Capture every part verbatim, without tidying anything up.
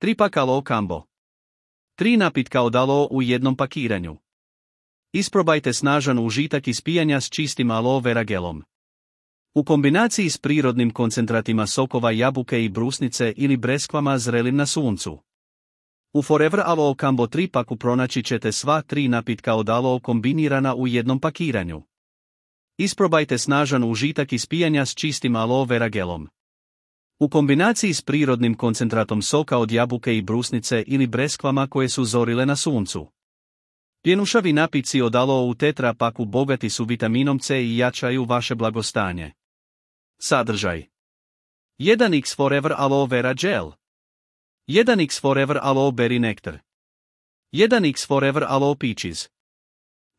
tri pak Aloe Combo. tri napitka od aloe u jednom pakiranju. Isprobajte snažan užitak ispijanja s čistim aloe vera gelom. U kombinaciji s prirodnim koncentratima sokova jabuke i brusnice ili breskvama zrelim na suncu. U Forever Aloe Combo tri paku pronaći ćete sva tri napitka od aloe kombinirana u jednom pakiranju. Isprobajte snažan užitak ispijanja s čistim aloe vera gelom. U kombinaciji s prirodnim koncentratom soka od jabuke i brusnice ili breskvama koje su zorile na suncu. Pjenušavi napici od aloe u tetra paku bogati su vitaminom C i jačaju vaše blagostanje. Sadržaj: jedan iks Forever Aloe Vera Gel, jedan iks Forever Aloe Berry Nectar, jedan iks Forever Aloe Peaches.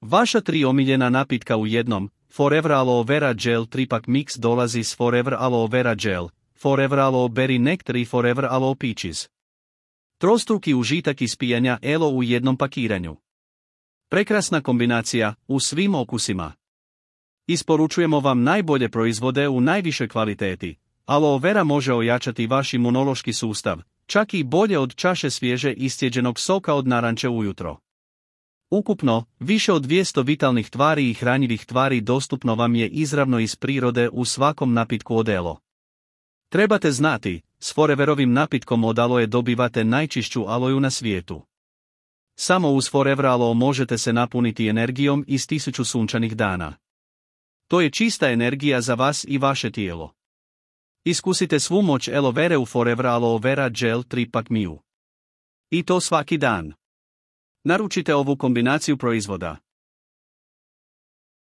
Vaša tri omiljena napitka u jednom. Forever Aloe Vera Gel tri pak Mix dolazi s Forever Aloe Vera Gel, Forever Aloe Berry Nectar i Forever Aloe Peaches. Trostruki užitak ispijanja elo u jednom pakiranju. Prekrasna kombinacija, u svim okusima. Isporučujemo vam najbolje proizvode u najvišoj kvaliteti. Aloe vera može ojačati vaš imunološki sustav, čak i bolje od čaše svježe iscijeđenog soka od naranče ujutro. Ukupno, više od dvjesto vitalnih tvari i hranjivih tvari dostupno vam je izravno iz prirode u svakom napitku od elo. Trebate znati, s Foreverovim napitkom od aloe dobivate najčišću aloju na svijetu. Samo uz Forever Aloe možete se napuniti energijom iz tisuću sunčanih dana. To je čista energija za vas i vaše tijelo. Iskusite svu moć aloe vere u Forever Aloe Vera Gel tri pak Miu. I to svaki dan. Naručite ovu kombinaciju proizvoda.